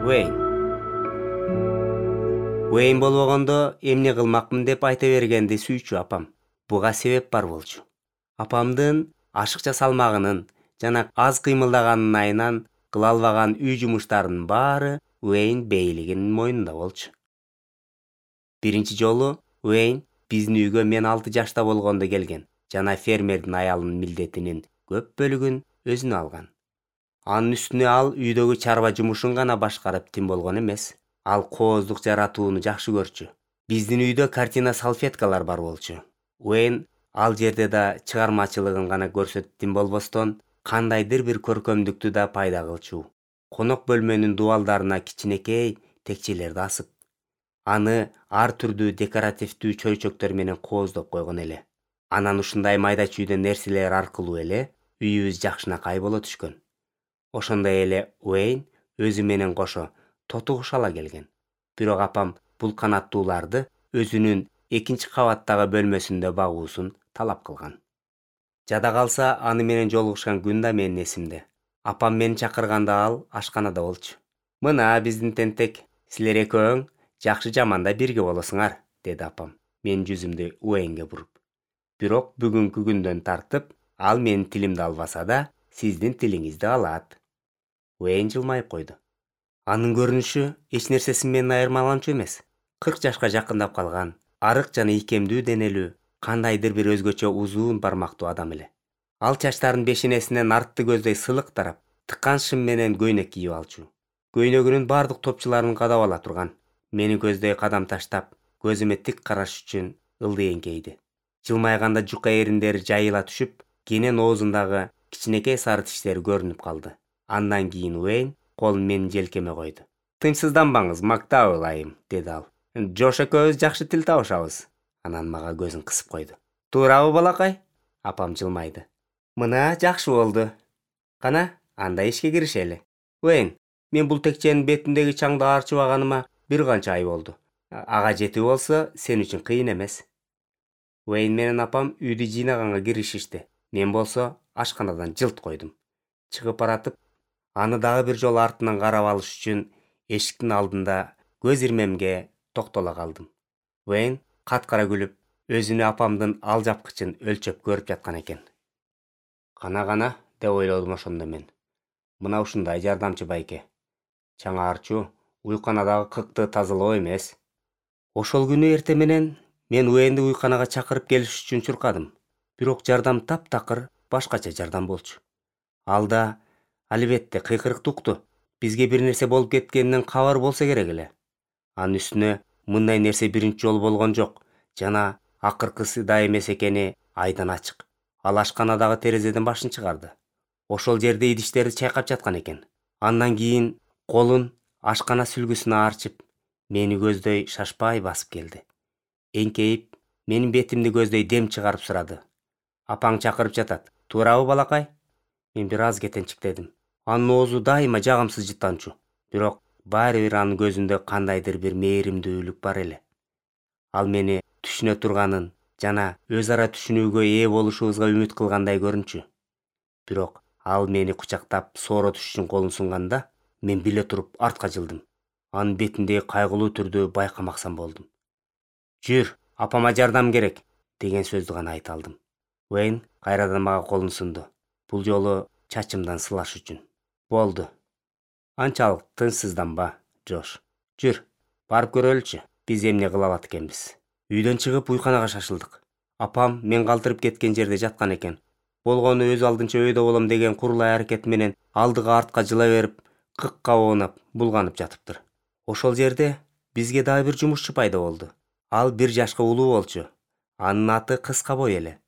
Уэйн. Уэйн болбогондо эмне кылмакмын деп айта бергенди сүйчү апам. Буга себеп бар болчу. Апамдын ашыкча салмагынын жана аз кыймылдаганын айынан кыла албаган үй жумуштарынын баары Уэйн бейлигинин мойнунда болчу. Биринчи жолу Уэйн биздин үйгө мен 6 жашта болгондо келген жана фермердин аялынын милдетинин көп бөлүгүн өзүнө алган. Анын үстүнө ал үйдөгү чарба жумушун гана башкарып тим болгон эмес. Ал кооздук жаратууну жакшы көрчү. Биздин үйдө картина салфеткалар бар болчу. Уэйн ал жерде да чыгармачылыгын гана көрсөтүп тим болбостон, кандайдыр бир көркөмдүктү да пайда кылчу. Конок бөлмөнүн дубалдарына кичинекей текчелерди асып, аны ар түрдүү декоративдүү чөйчөктөр менен кооздоп койгон эле. Анан ушундай майда чүйдө нерселер аркылуу эле үйүбүз жакшынакай боло түшкөн. Ошондой эле Уэйн өзү менен кошо тоту куш ала келген. Бирок апам бул канаттууларды өзүнүн 2-кабаттагы бөлмөсүндө багуусун талап кылган. Жада калса аны менен жолугушкан күн да менин эсимде. Апам мени чакырганда ал ашканада болчу. «Мына биздин тентек, силер экөөң жакшы жаманда бирге болосуңар», деди апам, менин жүзүмдү Уэйнге буруп. Бирок бүгүнкү күндөн тартып ал менин тилимди албаса да, сиздин тилиңизди алат. Уэйн жылмайып койду. Анын көрүнүшү эч нерсеси менен айырмаланчу эмес. 40 жашка жакындап калган, арык жана ийкемдүү денелүү, кандайдыр бир өзгөчө узун бармактуу адам эле. Ал чачтарын бешенесинен артты көздөй сылык тарап, тыккан шым менен көйнөк кийип алчу. Көйнөгүнүн бардык топчуларын кадап ала турган. Мени көздөй кадам таштап, көзүмө тик караш үчүн ылдый эңкейди. Жылмайганда жука эриндери жайыла түшүп, кенен оозундагы кичинекей сары тиштери көрүнүп калды. Андан кийин Уэйн колун менин желкеме койду. «Тынчсызданбаңыз, Мактабел айым», деди ал. «Жош экөөбүз жакшы тил табышабыз». Анан мага көзүн кысып койду. «Туурабы, балакай?» Апам жылмайды. «Мына жакшы болду. Кана, анда ишке киришели. Уэйн, мен бул текченин бетиндеги чаңды арчыбаганыма бир канча ай болду. Ага жетүү болсо, сен үчүн кыйын эмес». Уэйн менен апам үйдү жыйнаганга киришишти. Мен болсо ашканадан жылт койдум. Чыгып баратып, аны дагы бир жолу артынан карап алыш үчүн эшиктин алдында көз ирмемге токтоло калдым. Уэйн каткара күлүп, өзүнө апамдын ал жапкычын өлчөп көрүп жаткан экен. Кана, деп ойлодум ошондо мен. Мына ушундай жардамчы байке. Чаңа арчуу уйканадагы кыкты тазалоо эмес. Ошол күнү эртең менен мен Уэйнди уйканага чакырып келиш үчүн чуркадым. Бирок жардам таптакыр башкача жардам болчу. Ал да албетте кыйкырыкты укту. Бизге бир нерсе болуп кеткенинен кабар болсо керек эле. Анын үстүнө мындай нерсе биринчи жолу болгон жок жана акыркысы да эмес экени айдан ачык. Ал ашканадагы терезеден башын чыгарды. Ошол жерде идиштерди чайкап жаткан экен. Андан кийин колун ашкана сүлгүсүнө арчып, мени көздөй шашпай басып келди. Эңкейип, менин бетимди көздөй дем чыгарып сурады. «Апаң чакырып жатат. Туурабы, балакай?» Мен бир аз кетенчиктедим. Анын оозу дайыма жагымсыз жыттанчу. Бирок баары бир анын көзүндө кандайдыр бир мээримдүүлүк бар эле. Ал мени түшүнө турганын жана өз ара түшүнүүгө ээ болушубузга үмүт кылгандай көрүнчү. Бирок ал мени кучактап сооротуш үчүн колун сунганда, мен биле туруп артка жылдым. Анын бетиндеги кайгылуу түрдү байкамаксан болдум. «Жүр, апама жардам керек», деген сөздү гана айта алдым. Уэйн кайрадан мага колун сунду. Бул жолу чачымдан сылаш үчүн. «Болду. Анчалык тынчсызданба, Жош. Жүр, барып көрөлүчү, биз эмне кыла алат экенбиз». Үйдөн чыгып уйканага шашылдык. Апам мен калтырып кеткен жерде жаткан экен. Болгону өз алдынча өйдө болом деген курулай аракет менен алдыга артка жыла берип, кыкка оонап, булганып жатыптыр. Ошол жерде бизге дагы бир жумушчу пайда болду. Ал 1 жашка улуу болчу. Анын аты Кыска бой эле.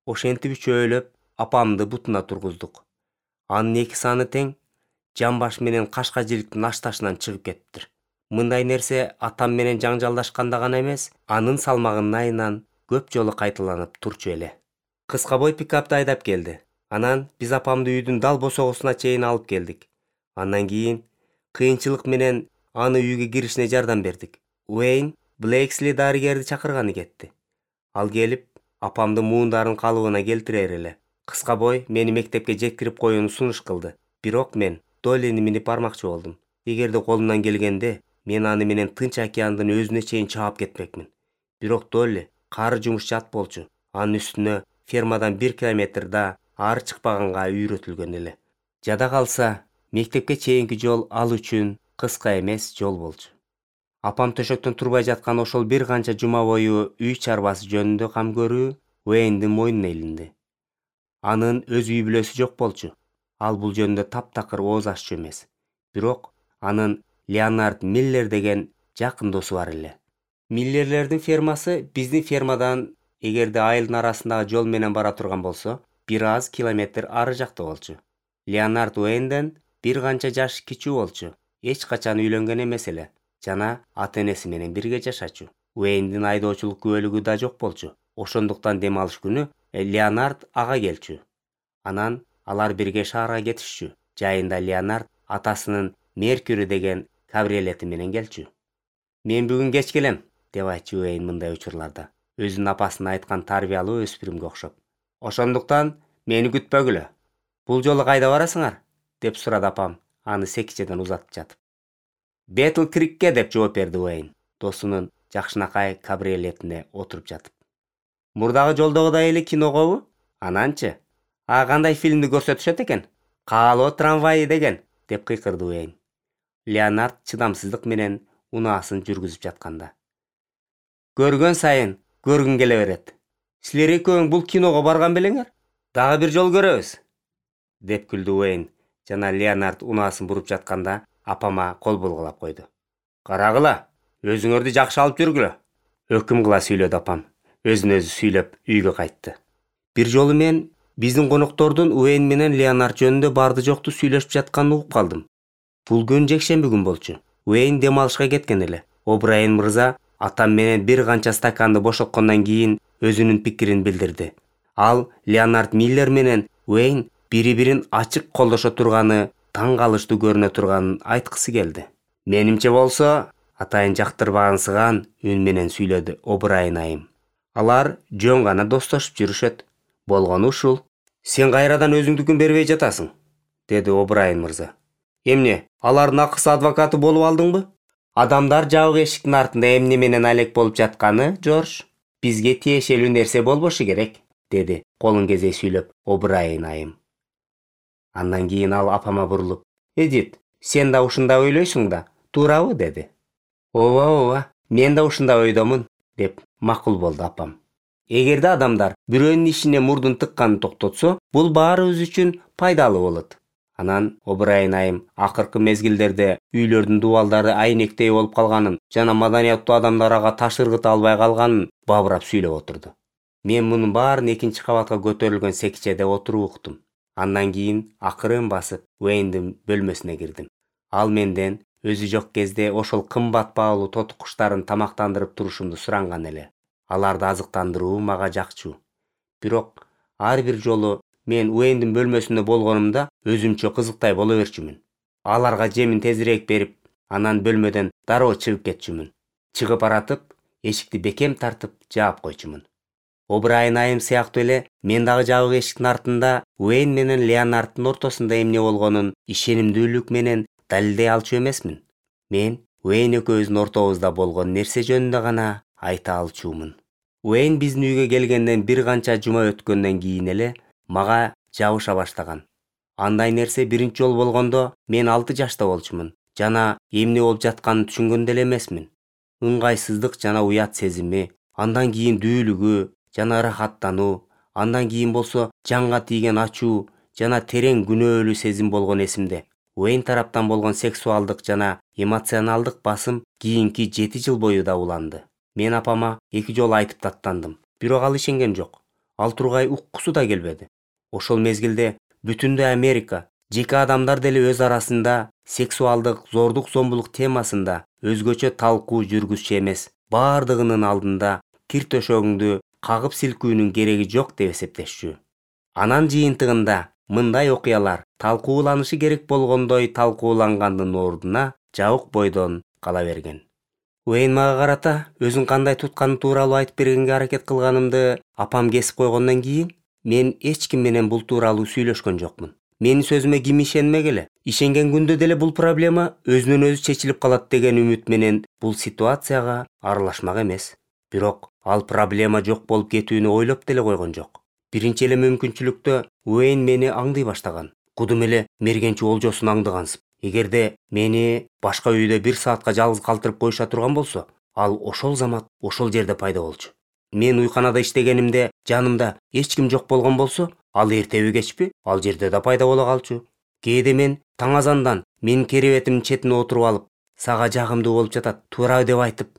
Ошентип үчөөлөп апамды бутуна тургуздук. Анын 2 саны тең, жамбаш менен кашка жиликтин ашташынан чыгып кетиптир. Мындай нерсе атам менен жаңжалдашканда гана эмес, анын салмагынын айынан көп жолу кайталанып турчу эле. Кыска бой пикапты айдап келди. Анан биз апамды үйдүн дал босогусуна чейин алып келдик. Андан кийин кыйынчылык менен аны үйгө киришине жардам бердик. Уэйн Блейксли дарыгерди чакырганы кетти. Ал келип, апамды муундарын калыбына келтирер эле. Кыска бой мени мектепке жеткирип коюуну сунуш кылды. Бирок мен Доллини минип бармакчы болдум. Эгерде колумдан келгенде, мен аны менен Тынч океандын өзүнө чейин чаап кетмекмин. Бирок Долли кары жумуш жат болчу. Анын үстүнө фермадан 1 километр да ары чыкпаганга үйрөтүлгөн эле. Жада калса, мектепке чейинки жол ал үчүн кыска эмес жол болчу. Апам төшөктөн турбай жаткан ошол бир канча жума бою үй чарбасы жөнүндө кам көрүү Уэйндин мойнуна илинди. Анын өз үй бүлөсү жок болчу. Ал бул жөнүндө таптакыр ооз аччу эмес. Бирок анын Леонард Миллер деген жакын досу бар эле. Миллерлердин фермасы биздин фермадан, эгерде айылдын арасындагы жол менен бара турган болсо, бир аз километр ары жакта болчу. Леонард Уэйнден бир канча жаш кичүү болчу. Эч качан үйлөнгөн эмес эле жана ата-энеси менен бирге жашачу. Уэйндин айдоочулук күбөлүгү да жок болчу. Ошондуктан дем алыш күнү Леонард ага келчү. Анан алар бирге шаарга кетишчү. Жайында Леонард атасынын Меркюри деген кабриолети менен келчү. Мен бүгүн кеч келем, деп айтчу Уэйн мындай учурларда. Өзүнүн апасына айткан тарбиялуу өспүрүмгө окшоп. Ошондуктан мени күтпөгүлө. Бул жолу кайда барасыңар? Деп сурады апам, аны секичеден узатып жатып. Бетл Крикке, деп жооп берди Уэйн, досунун жакшынакай кабриолетине отуруп жатып. Мурдагы жолдогудай эле киногобу? Ананчы? Кандай фильмди көрсөтүшөт экен? Каалоо трамвайы деген, деп кыйкырды Уэйн. Леонард чыдамсыздык менен унаасын жүргүзүп жатканда. Көргөн сайын көргүн келе берет. Силер экөөң бул киного барган белеңер? Дагы бир жол көрөбүз, деп күлдү Уэйн жана Леонард унаасын буруп жатканда апама кол булгулап койду. Карагыла, өзүңөрдү жакшы алып жүргүлө. Өкүм кыла сүйлөдү апам. Өзүн өзү сүйлөп үйгө кайтты. Бир жолу мен биздин коноктордун Уэйн менен Леонард жөнүндө барды жокту сүйлөшүп жатканын угуп калдым. Бул күн жекшемби күн болчу. Уэйн дем алышка кеткен эле. О'Брайен мырза атам менен бир канча стаканды бошоткондон кийин өзүнүн пикирин билдирди. Ал Леонард Миллер менен Уэйн бири-бирин ачык колдошо турганы, таң калыштуу көрүнө турганын айткысы келди. Менимче болсо, атайын жактырбагансыган үн менен сүйлөдү О'Брайен айым. Алар жөн гана достошуп жүрүшөт. Болгону ушул. Сен кайрадан өзүңдүкүн бербей жатасың, деди О'Брайен мырза. Эмне, алардын акысы адвокаты болуп алдыңбы? Адамдар жабык эшиктин артында эмне менен алек болуп жатканы, Жорж, бизге тиешелүү нерсе болбошу керек, деди колун кезей сүйлөп О'Брайен айым. Андан кийин ал апама бурулуп, Эдит, сен да ушундай ойлойсуң да, туурабы, деди. Ооба, мен да ушундай ойдомун, деп макул болду апам. Эгерде адамдар бирөөнүн ишине мурдун тыкканын токтотсо, бул баарыбыз үчүн пайдалуу болот. Анан О'Брайен айым акыркы мезгилдерде үйлөрдүн дубалдары айнектей болуп калганын жана маданияттуу адамдар ага таш ыргыта албай калганын бабырап сүйлөп отурду. Мен мунун баарын экинчи кабатка көтөрүлгөн секичеде отуруп уктум. Андан кийин акырын басып Уэйндин бөлмөсүнө кирдим. Ал менден өзү жок кезде ошол кымбат баалуу тоту куштарын тамактандырып турушумду суранган эле. Аларды азыктандыруу мага жакчу. Бирок ар бир жолу мен Уэйндин бөлмөсүндө болгонумда өзүмчө кызыктай боло берчүмүн. Аларга жемин тезирээк берип, анан бөлмөдөн дароо чыгып кетчүмүн. Чыгып баратып, эшикти бекем тартып жаап койчумун. О'Брайен айым сыяктуу эле мен дагы жабык эшиктин артында Уэйн менен Леонарддын ортосунда эмне болгонун ишенимдүүлүк менен далилдей алчу эмесмин. Мен Уэйн экөөбүздүн ортобузда болгон нерсе жөнүндө гана айта алчумун. Уэйн биздин үйгө келгенден бир канча жума өткөндөн кийин эле мага жабыша баштаган. Андай нерсе биринчи жолу болгондо мен 6 жашта болчумун жана эмне болуп жатканын түшүнгөн деле эмесмин. Ыңгайсыздык жана уят сезими, андан кийин дүүлүгү жана ырахаттануу, андан кийин болсо жанга тийген ачуу жана терең күнөөлүү сезим болгон эсимде. Уэйн тараптан болгон сексуалдык жана эмоционалдык басым кийинки 7 жыл бою да уланды. Мен апама 2 жолу айтып даттандым, бирок ал ишенген жок. Ал тургай уккусу да келбеди. Ошол мезгилде бүтүндөй Америка, жеке адамдар деле өз арасында сексуалдык зордук зомбулук темасында өзгөчө талкуу жүргүзчү эмес, баардыгынын алдында кир төшөгүңдү кагып силкүүнүн кереги жок деп эсептешчү. Анан жыйынтыгында мындай окуялар талкууланышы керек болгондой талкуулангандын ордуна жабык бойдон кала берген. Уэйн мага карата өзүн кандай тутканы тууралуу айтып бергенге аракет кылганымды апам кесип койгондон кийин мен эч ким менен бул тууралуу сүйлөшкөн жокмун. Менин сөзүмө ким ишенмек эле? Ишенген күндө деле бул проблема өзүнөн өзү чечилип калат деген үмүт менен бул ситуацияга аралашмак эмес. Бирок ал проблема жок болуп кетүүнү ойлоп деле койгон жок. Биринчи эле мүмкүнчүлүктө Уэйн мени аңдый баштаган. Кудум эле мергенчи олжосун аңдыгансып. Эгерде мени башка үйдө 1 саатка жалгыз калтырып коюша турган болсо, ал ошол замат ошол жерде пайда болчу. Мен уйканада иштегенимде жанымда эч ким жок болгон болсо, ал эртеби кечпи ал жерде да пайда боло калчу. Кээде мен таң азандан менин керебетимдин четине отуруп алып, сага жагымдуу болуп жатат, туура деп айтып,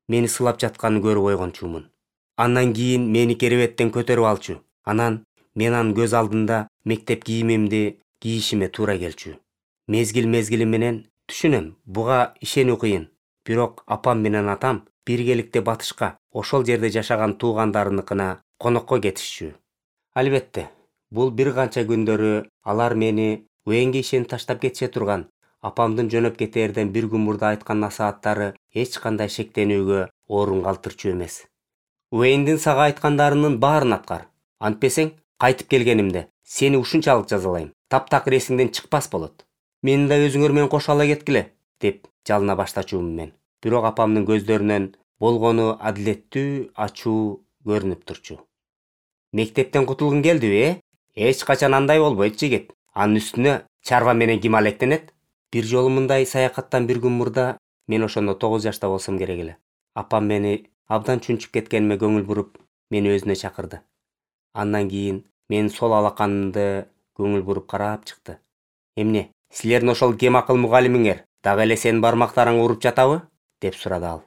мени сылап жатканын көрүп ойгончумун. Андан кийин мени керебеттен көтөрүп алчу. Анан мен анын көз алдында мектеп кийимимди кийишиме туура келчү. Мезгил менен түшүнөм, буга ишенүү кыйын. Бирок апам менен атам биргеликте батышка, ошол жерде жашаган туугандарыныкына конокко кетишчү. Албетте, бул бир канча күндөрү алар мени Уэйнге ишенип таштап кетише турган. Апамдын жөнөп кетээрден бир күн мурда айткан насааттары эч кандай шектенүүгө орун калтырчу эмес. Уэйндин сага айткандарынын баарын аткар. Антпесең, кайтып келгенимде сени ушунчалык жазалайм. Таптакыр эсиңден чыкпас болот. Мени да өзүңөр менен кошо ала кеткиле, деп жалына баштачумун мен. Бирок апамдын көздөрүнөн болгону адилеттүү, ачуу көрүнүп турчу. Мектептен кутулгуң келдиби, Эч качан андай болбойт жигит. Анын үстүнө чарба менен ким алектенет? Бир жолу мындай саякаттан бир күн мурда мен ошондо 9 жашта болсом керек эле. Апам мени абдан чүнчүп кеткениме көңүл буруп, мени өзүнө чакырды. Андан кийин менин сол алаканымды көңүл буруп карап чыкты. Эмне, силердин ошол кем акыл мугалимиңер дагы эле сенин бармактарыңы уруп жатабы? Деп сурады ал.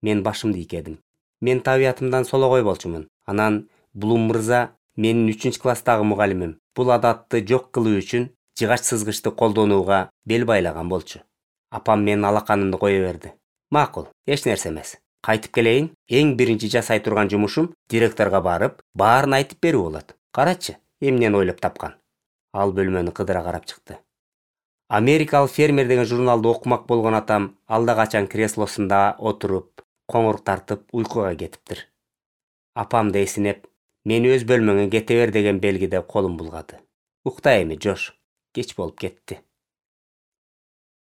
Мен башымды ийкедим. Мен табиятымдан сологой болчумун. Анан Блум мырза менин 3-класстагы мугалимим. Бул адатты жок кылуу үчүн жыгач сызгычты колдонууга бел байлаган болчу. Апам менин алаканымды кое берди. Макул, эч нерсе эмес. Кайтып келейин, эң биринчи жасай турган жумушум директорго барып, баарын айтып берүү болот. Карачы, эмнени ойлоп тапкан. Ал бөлмөнү кыдыра карап чыкты. Америкалык фермер деген журналды окумак болгон атам алда качан креслосунда отуруп, коңур тартып уйкуга кетиптир. Апам да эсинеп, мени өз бөлмөңө кете бер деген белгиде колун булгады. Укта эми, Жош, кеч болуп кетти.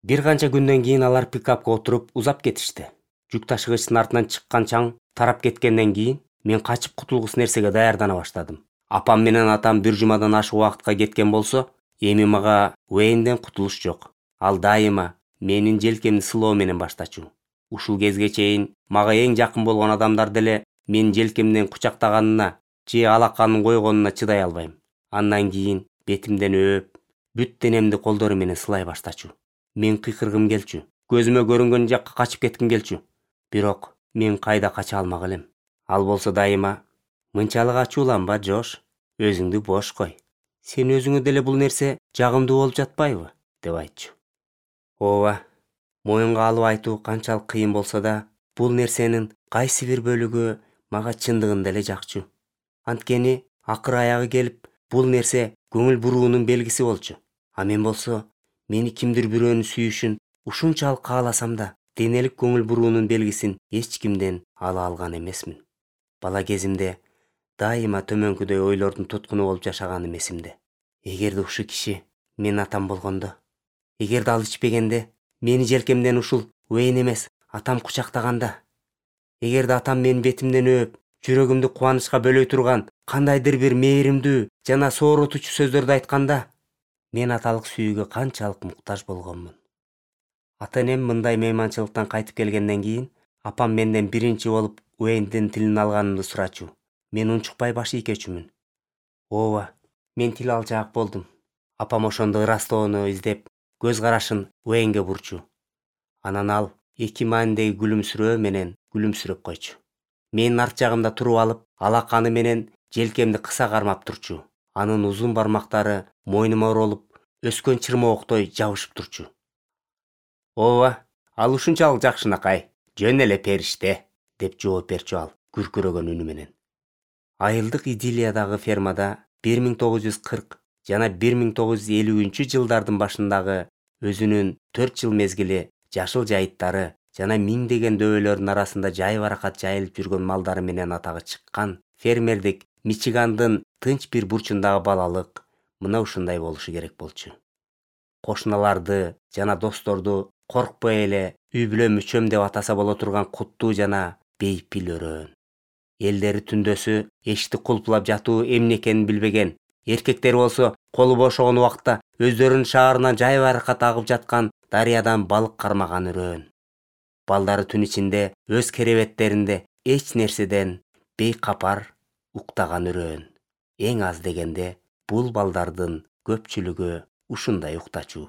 Бир канча күндөн кийин алар пикапка отуруп узап кетишти. Жүк ташыгычтын артынан чыккан чаң тарап кеткенден кийин мен качып кутулгус нерсеге даярдана баштадым. Апам менен атам бир жумадан ашык убакытка кеткен болсо, эми мага Уэйнден кутулуш жок. Ал дайыма менин желкемди сылоо менен баштачу. Ушул кезге чейин мага эң жакын болгон адамдар деле менин желкемден кучактаганына же алаканын койгонуна чыдай албайм. Андан кийин бетимден өп, бүт денемди колдору менен сылай баштачу. Мен кыйкыргым келчү. Көзүмө көрүнгөн жакка качып кетким келчү. Бирок мен кайда кача алмак элем. Ал болсо дайыма, мынчалык ачууланба, Жош, өзүңдү бош кой. Сен өзүңө деле бул нерсе жагымдуу болуп жатпайбы? Деп айтчу. Ооба, моюнга алып айтуу канчалык кыйын болсо да, бул нерсенин кайсы бир бөлүгү мага чындыгында эле жакчу. Анткени акыр аягы келип, бул нерсе көңүл буруунун белгиси болчу. А мен болсо, мени кимдир бирөөнүн сүйүшүн ушунчалык кааласам да, денелик көңүл буруунун белгисин эч кимден ала алган эмесмин. Бала кезимде дайыма төмөнкүдөй ойлордун туткуну болуп жашаганым эсимде. Эгерде ушул киши менин атам болгондо, эгерде ал ичпегенде, мени желкемден ушул Уэйн эмес, атам кучактаганда, эгерде атам менин бетимден өп, жүрөгүмдү кубанычка бөлөй турган кандайдыр бир мээримдүү жана сооротуучу сөздөрдү айтканда, мен аталык сүйүүгө канчалык муктаж болгонмун. Ата-энем мындай мейманчылыктан кайтып келгенден кийин, апам менден биринчи болуп Уэйндин тилин алганымды сурачу. Мен унчукпай баш ийкечүмүн. Ооба, мен тил алчаак болдум. Апам ошондо ырастоону издеп, көз карашын Уэйнге бурчу. Анан ал эки маанидеги күлүмсүрөө менен күлүмсүрөп койчу. Менин арт жагымда туруп алып, алаканы менен желкемди кыса кармап турчу. Анын узун бармактары мойнума оролуп, өскөн чырмооктой жабышып турчу. Ооба, ал ушунчалык жакшынакай, жөн эле периште, деп жооп берчү ал күркүрөгөн үнү менен. Айылдык Идилиядагы фермада 1940 жана 1950 жылдардын башындагы өзүнүн 4 жыл мезгили жашыл жайыттары жана миңдеген дөбөлөрдүн арасында жай баракат жайылып жүргөн малдары менен атагы чыккан фермердик Мичигандын тынч бир бурчундагы балалык, мына ушундай болушу керек болчу. Кошуналарды жана досторду коркпой эле үй бүлө мүчөм деп атаса боло турган куттуу жана бейпил өрөөн. Элдери түндөсү эшикти кулпулап жатуу эмне экенин билбеген. Эркектер болсо колу бошогон убакта өздөрүнүн шаарынан жай баракат агып жаткан дарыядан балык кармаган үрөөн. Балдары түн ичинде өз керебеттеринде эч нерседен бейкапар уктаган үрөөн. Эң аз дегенде бул балдардын көпчүлүгү ушундай уктачу.